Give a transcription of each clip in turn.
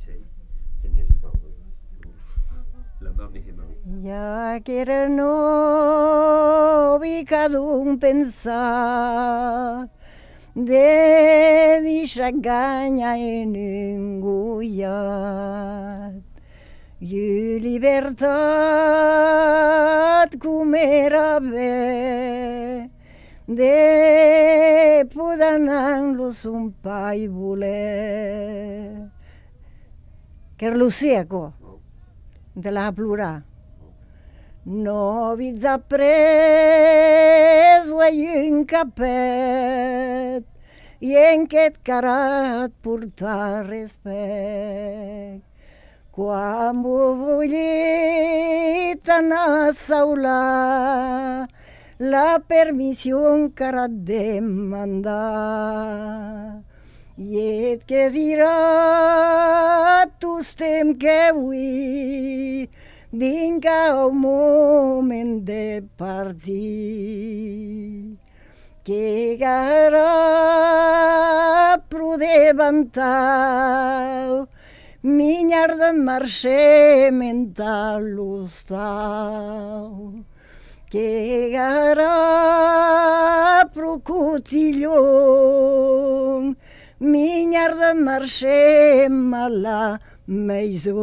sei, tenés un poco la donna che mau. Ja que era novi cada un pensar de deixar ganha en engullat. I libertat com era bé de poder anar-los un pa i voler. Que Lucieco, de la plorar. No vits après un capet i en aquest carat portar respecte. Quan bullit anar a saular, la permissió encara et demandar. I et que dirà tu estem que avui vinga un moment de partir. Que gara prudevantar minyar de marxer mental l'hostal. Que gara procotillon minyar de marxer a la maison.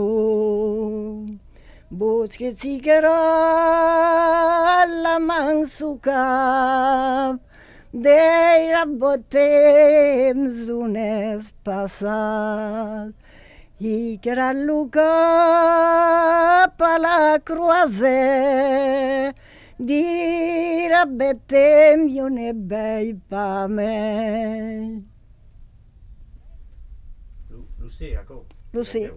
Vos que sigarà la mansuca d'era bon temps un és passat i que era el cap a la croisée d'era bon temps i un és vell pa me. Lucè, acord? Lucè.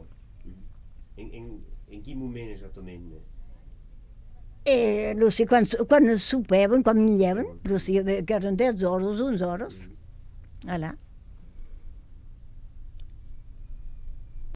En quin moment exactament? Lucy, quan sopeven, quan menjaven, Lucy, que eren 10 hores, 11 hores. Allà.